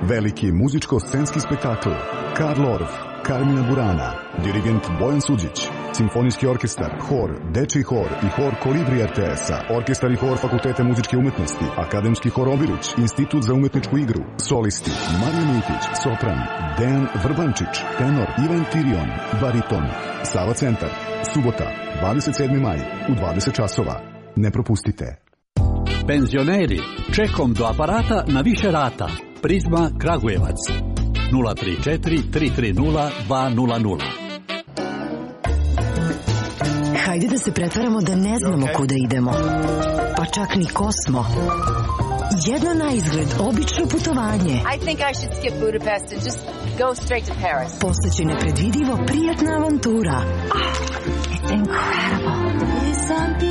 Veliki muzičko-scenski spektakl Karl Orff, Carmina Burana, dirigent Bojan Suđić, simfonijski orkestar, hor, dečiji hor i hor Kolibri er te es-a, orkestar i hor Fakulteta muzičke umetnosti, akademski hor Obiruć, institut za umetničku igru, solisti, Marija Mitić, sopran, Dejan Vrbančić, tenor Ivan Tirion, bariton, Sava centar, subota, dvadeset sedmi maj, u dvadeset časova. Ne propustite. Penzioneri, čekom do aparata na više rata. Prizma Kragujevac. nula tri četiri tri tri nula dva nula nula. Hajde da se pretvaramo da ne znamo kuda idemo. Pa čak ni ko smo. Jedno na izgled obično putovanje. I think I should skip Budapest and just go straight to Paris. Postaće nepredvidivo prijatna avantura. Oh, it's incredible.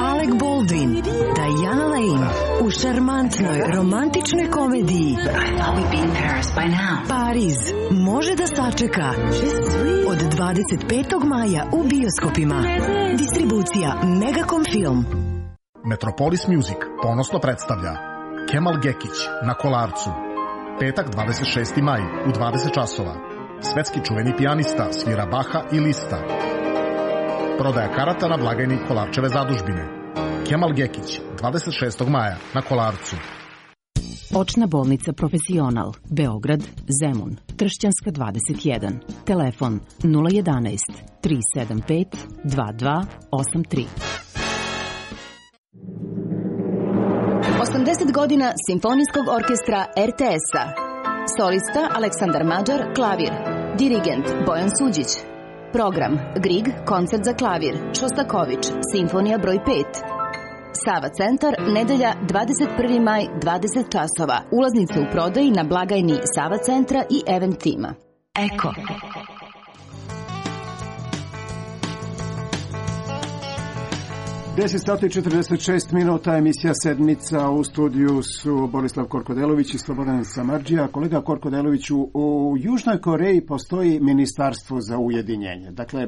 Alec Baldwin, Diana Lane u šarmantnoj romantičnoj komediji Pariz može da sačeka od dvadeset petog maja u bioskopima. Distribucija Megacom Film. Metropolis Music ponosno predstavlja Kemal Gekić na Kolarcu. Petak dvadeset šesti maj u dvadeset časova. Svetski čuveni pijanista svira Baha i Lista. Prodaja karata na blagajni Kolarčeve zadužbine. Kemal Gekić, dvadeset šestog maja na Kolarcu. Očna bolnica Profesional, Beograd, Zemun, Tršćanska dvadeset jedan. Telefon nula jedanaest tri sedam pet dva dva osam tri. osamdeset godina Simfonijskog orkestra er te es-a. Solista Aleksandar Mađar, klavir. Dirigent Bojan Suđić. Program Grieg, koncert za klavir, Šostaković, simfonija broj pet. Sava centar, nedelja dvadeset prvi maj, dvadeset časova. Ulaznice u prodaji na blagajni Sava centra i Event tima. Eko. deset sati i četrdeset šest minuta, emisija Sedmica, u studiju su Borislav Korkodelović i Slobodan Samardžija. Kolega Korkodeloviću, u Južnoj Koreji postoji ministarstvo za ujedinjenje. Dakle,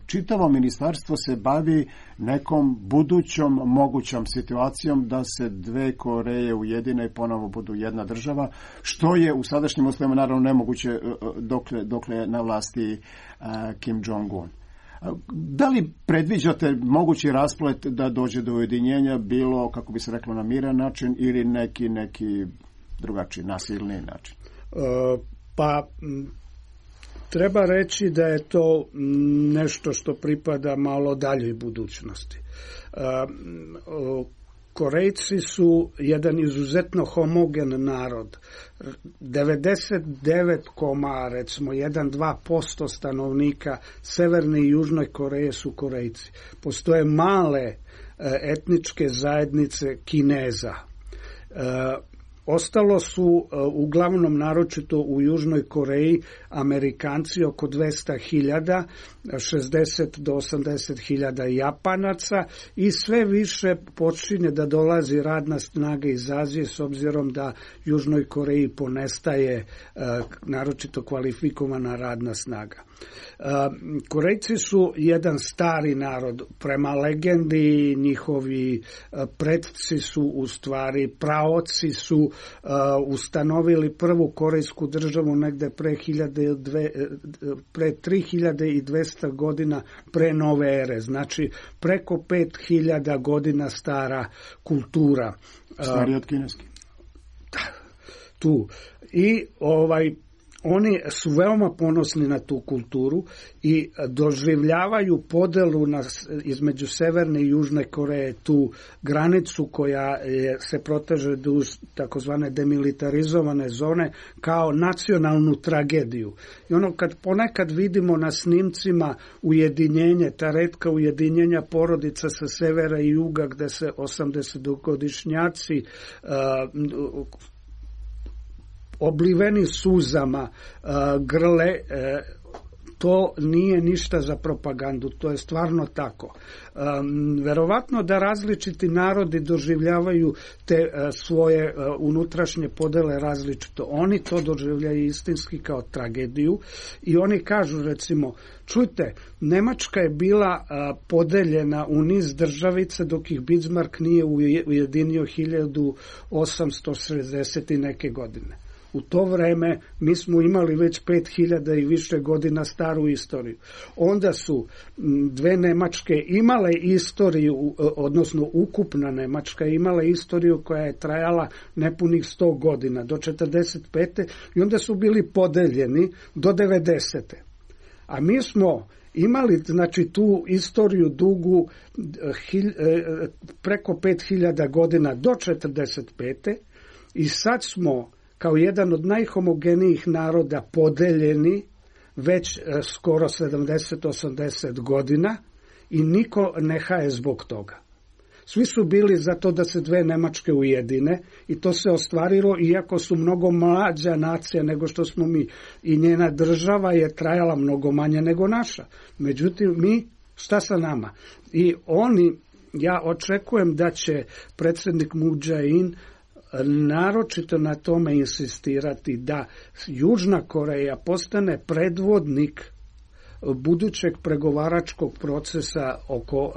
čitavo ministarstvo se bavi nekom budućom mogućom situacijom da se dve Koreje ujedine i ponovo budu jedna država, što je u sadašnjim uslovima naravno nemoguće dokle, dokle je na vlasti Kim Jong-un. Da li predviđate mogući rasplet da dođe do ujedinjenja, bilo, kako bi se reklo, na miran način ili neki, neki drugačiji, nasilni način? Uh, pa, treba reći da je to nešto što pripada malo daljoj budućnosti. Uh, Korejci su jedan izuzetno homogen narod. devedeset devet zarez jedan do dva posto stanovnika Severne i Južne Koreje su Korejci. Postoje male etničke zajednice Kineza. Ostalo su uglavnom, naročito u Južnoj Koreji, Amerikanci oko dvesta hiljada, šezdeset do osamdeset hiljada Japanaca i sve više počinje da dolazi radna snaga iz Azije, s obzirom da Južnoj Koreji ponestaje naročito kvalifikovana radna snaga. Korejci su jedan stari narod. Prema legendi njihovi predci su u stvari, praoci su ustanovili prvu korejsku državu negde pre, pre tri hiljade dvesta godina pre nove ere. Znači preko pet hiljada godina stara kultura. Stari od kineski. Tu. I ovaj oni su veoma ponosni na tu kulturu i doživljavaju podelu na, između Severne i Južne Koreje, tu granicu koja je, se proteže duž takozvane demilitarizovane zone, kao nacionalnu tragediju. I ono kad ponekad vidimo na snimcima ujedinjenje, ta retka ujedinjenja porodica sa severa i juga, gde se osamdesetogodišnjaci uh, obliveni suzama, grle to nije ništa za propagandu, to je stvarno tako. Um, verovatno da različiti narodi doživljavaju te uh, svoje uh, unutrašnje podele različito. Oni to doživljaju istinski kao tragediju i oni kažu, recimo, čujte, Nemačka je bila uh, podeljena u niz državice dok ih Bismarck nije ujedinio hiljadu osamsto šezdeset i neke godine. U to vreme mi smo imali već pet hiljada i više godina staru istoriju. Onda su dve Nemačke imale istoriju, odnosno ukupna Nemačka imala istoriju koja je trajala nepunih sto godina, do četrdeset pete i onda su bili podeljeni do devedesete. A mi smo imali, znači, tu istoriju dugu hilj, preko pet hiljada godina do četrdeset pete i sad smo kao jedan od najhomogenijih naroda podeljeni već skoro sedamdeset do osamdeset godina i niko ne haje zbog toga. Svi su bili za to da se dve Nemačke ujedine i to se ostvarilo iako su mnogo mlađa nacija nego što smo mi i njena država je trajala mnogo manje nego naša. Međutim, mi, šta sa nama? I oni, ja očekujem da će predsjednik Moon Jae-in naročito na tome insistirati da Južna Koreja postane predvodnik budućeg pregovaračkog procesa oko um,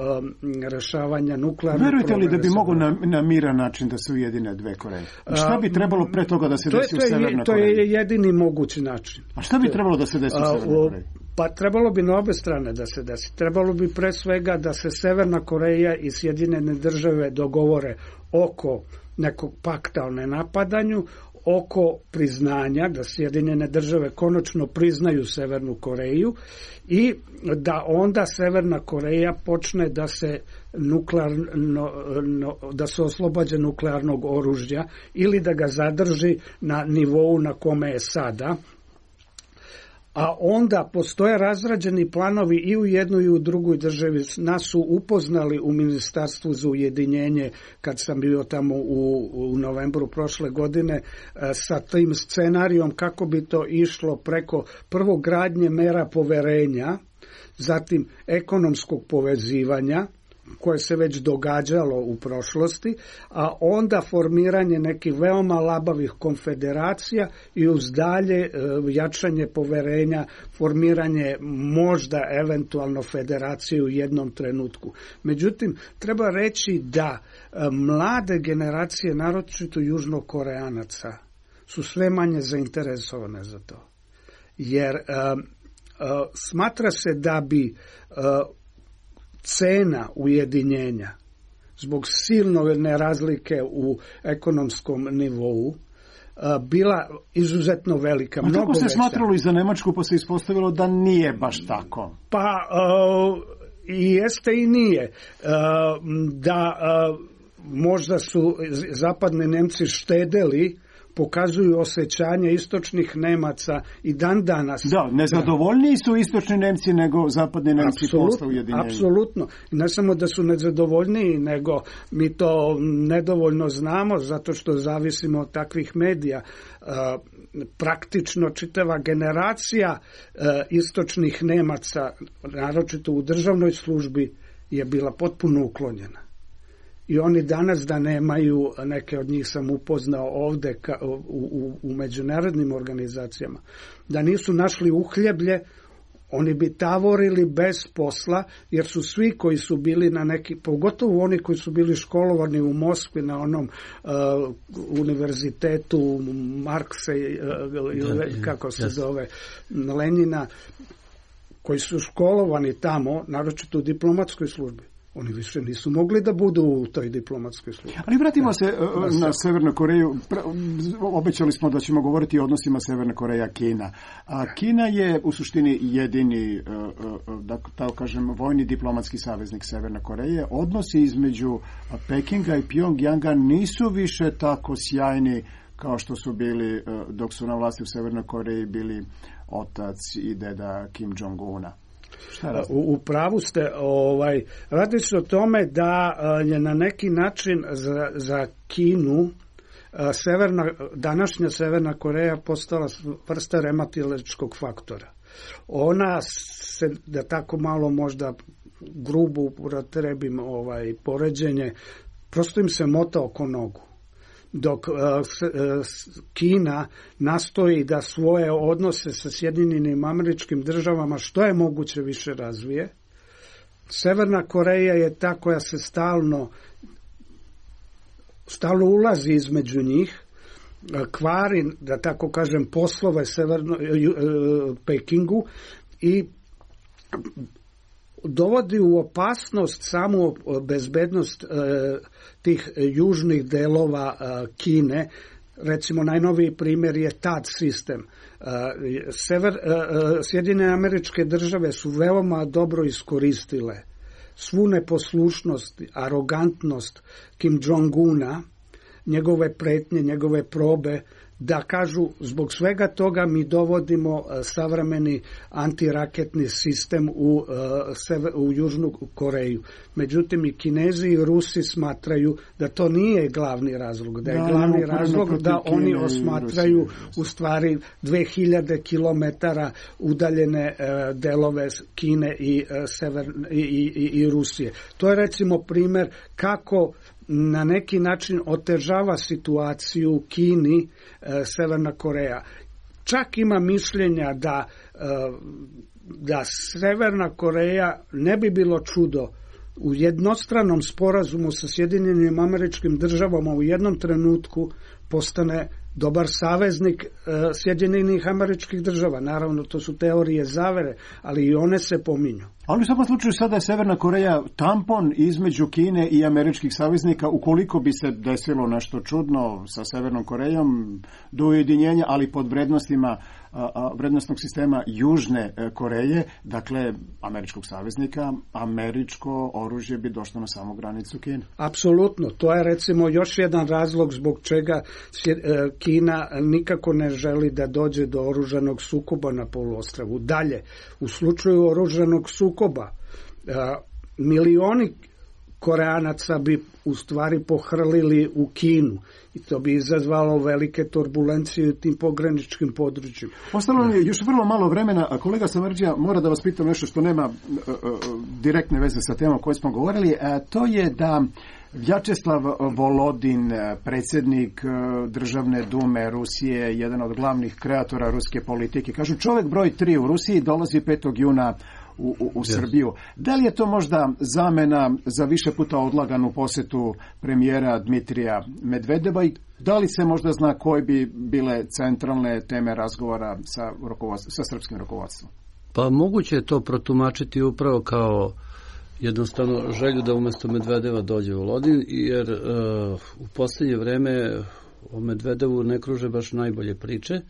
rešavanja nuklearnog problema. Verujete li da bi mogo na, na miran način da se ujedine dve Koreje? Šta bi trebalo pre toga da se to desi je, u Severnoj Koreji? To je jedini mogući način. A šta bi trebalo da se desi u Severnoj Koreji? Pa trebalo bi na obe strane da se desi. Trebalo bi pre svega da se Severna Koreja i Sjedinjene države dogovore oko nekog pakta o nenapadanju, oko priznanja, da Sjedinjene države konačno priznaju Severnu Koreju i da onda Severna Koreja počne da se nuklearno, da se oslobađa nuklearnog oružja ili da ga zadrži na nivou na kome je sada. A onda postoje razrađeni planovi i u jednoj i u drugoj državi. Nas su upoznali u Ministarstvu za ujedinjenje, kad sam bio tamo u, u novembru prošle godine, sa tim scenarijom kako bi to išlo preko prvo gradnje mera poverenja, zatim ekonomskog povezivanja, koje se već događalo u prošlosti, a onda formiranje nekih veoma labavih konfederacija i uz dalje jačanje poverenja, formiranje možda eventualno federacije u jednom trenutku. Međutim, treba reći da mlade generacije, naročito Južnokoreanaca, su sve manje zainteresovane za to. Jer uh, uh, smatra se da bi uh, cena ujedinjenja zbog silne razlike u ekonomskom nivou bila izuzetno velika. A tako se smatralo i za Nemačku, pa se ispostavilo da nije baš tako. Pa uh, i jeste i nije. Uh, da uh, možda su zapadni Nemci štedeli, pokazuju osjećanje istočnih Nemaca i dan danas. Da, nezadovoljniji su istočni Nemci nego zapadni Nemci posle ujedinjenja. Apsolutno. Ne samo da su nezadovoljniji, nego mi to nedovoljno znamo, zato što zavisimo od takvih medija. Praktično čitava generacija istočnih Nemaca, naročito u državnoj službi, je bila potpuno uklonjena. I oni danas da nemaju, neke od njih sam upoznao ovde ka, u, u, u međunarodnim organizacijama, da nisu našli uhljeblje, oni bi tavorili bez posla, jer su svi koji su bili na neki, pogotovo oni koji su bili školovani u Moskvi na onom uh, univerzitetu Marksa, uh, kako se zove, Lenjina, koji su školovani tamo, naročito u diplomatskoj službi. Oni više nisu mogli da budu u toj diplomatskoj službi. Ali vratimo se uh, na Severnu Koreju. Obećali smo da ćemo govoriti o odnosima Severna Koreja-Kina. A Kina je u suštini jedini, uh, uh, da tako kažem, vojni diplomatski saveznik Severne Koreje. Odnosi između Pekinga i Pjongjanga nisu više tako sjajni kao što su bili uh, dok su na vlasti u Severnoj Koreji bili otac i deda Kim Jong-una. U, u pravu ste, ovaj, radi se o tome da je na neki način za, za Kinu severna, današnja Severna Koreja postala vrsta rematilačkog faktora. Ona se, da tako malo možda grubo upotrebim ovaj poređenje, prosto im se mota oko nogu. Dok uh, s, uh, Kina nastoji da svoje odnose sa Sjedinjenim Američkim Državama što je moguće više razvije, Severna Koreja je ta koja se stalno stalno ulazi između njih, kvari, da tako kažem, poslove severno, uh, Pekingu i dovodi u opasnost samu bezbednost e, tih južnih delova e, Kine. Recimo, najnoviji primjer je T A D sistem. E, sever, e, Sjedinjene Američke Države su veoma dobro iskoristile svu neposlušnost, arogantnost Kim Jong-una, njegove pretnje, njegove probe, da kažu zbog svega toga mi dovodimo savremeni antiraketni sistem u, u Južnu Koreju. Međutim, i Kinezi i Rusi smatraju da to nije glavni razlog, da je da, glavni razlog da oni osmatraju u stvari dve hiljade kilometara udaljene delove Kine i, severne, i, i, i Rusije. To je recimo primjer kako na neki način otežava situaciju u Kini e, Severna Koreja. Čak ima mišljenja da, e, da Severna Koreja ne bi bilo čudo u jednostranom sporazumu sa Sjedinjenim Američkim Državama u jednom trenutku postane dobar saveznik e, Sjedinjenih Američkih Država. Naravno, to su teorije zavere, ali i one se pominju. Ali u svakom slučaju sada je Severna Koreja tampon između Kine i američkih saveznika. Ukoliko bi se desilo nešto čudno sa Severnom Korejom do ujedinjenja, ali pod vrednostima vrednostnog sistema Južne Koreje, dakle američkog saveznika, američko oružje bi došlo na samu granicu Kine. Apsolutno. To je recimo još jedan razlog zbog čega Kina nikako ne želi da dođe do oružanog sukoba na poluostrvu. Dalje, u slučaju oružanog sukoba milioni Koreanaca bi u stvari pohrlili u Kinu i to bi izazvalo velike turbulencije u tim pograničnim područjima. Ostalo je još vrlo malo vremena, a kolega Samardžija mora da vas pitam nešto što nema uh, uh, direktne veze sa temom o kojoj smo govorili, a to je da Vjačeslav Volodin, predsjednik Državne dume Rusije, jedan od glavnih kreatora ruske politike, kažu čovjek broj tri u Rusiji, dolazi petog juna u, u, u Srbiju. Da li je to možda zamena za više puta odlaganu posjetu premijera Dmitrija Medvedeva i da li se možda zna koje bi bile centralne teme razgovora sa, sa srpskim rukovodstvom? Pa moguće je to protumačiti upravo kao jednostavno želju da umjesto Medvedeva dođe Volodin, jer uh, u posljednje vreme o Medvedevu ne kruže baš najbolje priče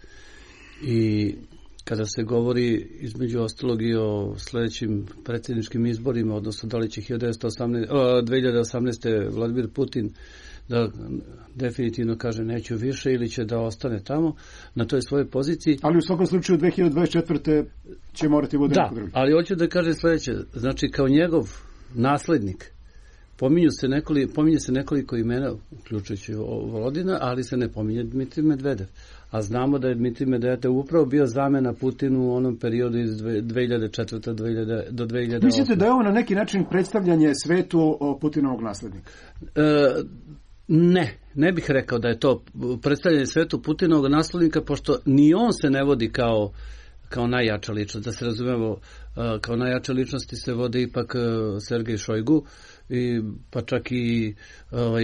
i kada se govori između ostalog i o sljedećim predsjedničkim izborima, odnosno da li će dve hiljade osamnaeste. Vladimir Putin da definitivno kaže neću više ili će da ostane tamo na toj svojoj poziciji. Ali u svakom slučaju dve hiljade dvadeset četvrte će morati bude da, neko drugi. Ali hoću da kažem sljedeće. Znači, kao njegov naslednik pominju se nekoliko, pominje se nekoliko imena, uključujući Volodina, ali se ne pominje Dmitrij Medvedev. A znamo da je Dmitrij Medvedev upravo bio zamena Putinu u onom periodu iz dve hiljade četvrte. do dve hiljade osme. Mislite da je ovo na neki način predstavljanje svetu o Putinovog naslednika? E, ne, ne bih rekao da je to predstavljanje svetu Putinovog naslednika, pošto ni on se ne vodi kao kao najjača ličnost. Da se razumemo, kao najjača ličnosti se vode ipak Sergej Šojgu, i, pa čak i, ovaj,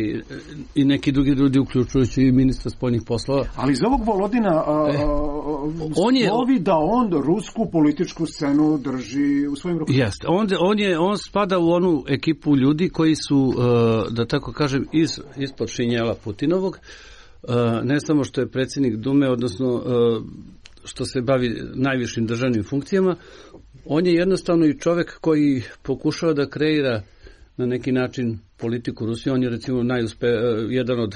i neki drugi ljudi, uključujući i ministra spoljnih poslova. Ali iz ovog Volodina a, e, on je slovi da on rusku političku scenu drži u svojim rukama. Jeste. On, on, je, on spada u onu ekipu ljudi koji su, da tako kažem, iz, ispod šinjela Putinovog. Ne samo što je predsjednik Dume, odnosno što se bavi najvišim državnim funkcijama, on je jednostavno i čovjek koji pokušava da kreira na neki način politiku Rusije. On je recimo najuspe, jedan od,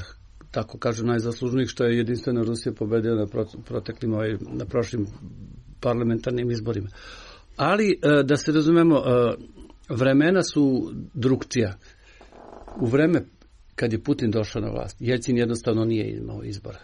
tako kažem, najzaslužnijih što je jedinstvena Rusija pobedio na proteklim, ovaj, na prošlim parlamentarnim izborima. Ali, da se razumemo, vremena su drugčija. U vreme kad je Putin došao na vlast, Jeljcin jednostavno nije imao izbora.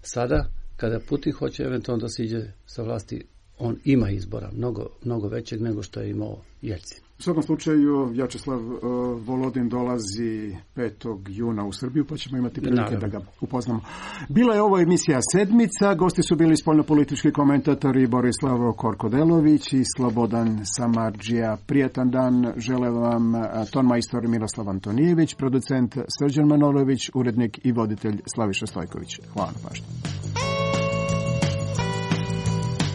Sada, kada Putin hoće eventualno da se iđe sa vlasti, on ima izbora, mnogo, mnogo većeg nego što je imao Jeljcin. U svakom slučaju, Vjačeslav uh, Volodin dolazi petog juna u Srbiju, pa ćemo imati prilike Naravno. da ga upoznamo. Bila je ovo emisija Sedmica, gosti su bili spoljnopolitički komentatori Borislav Korkodelović i Slobodan Samardžija. Prijetan dan, žele vam ton majstor Miroslav Antonijević, producent Srđan Manojlović, urednik i voditelj Slaviša Stojković. Hvala na pažnji.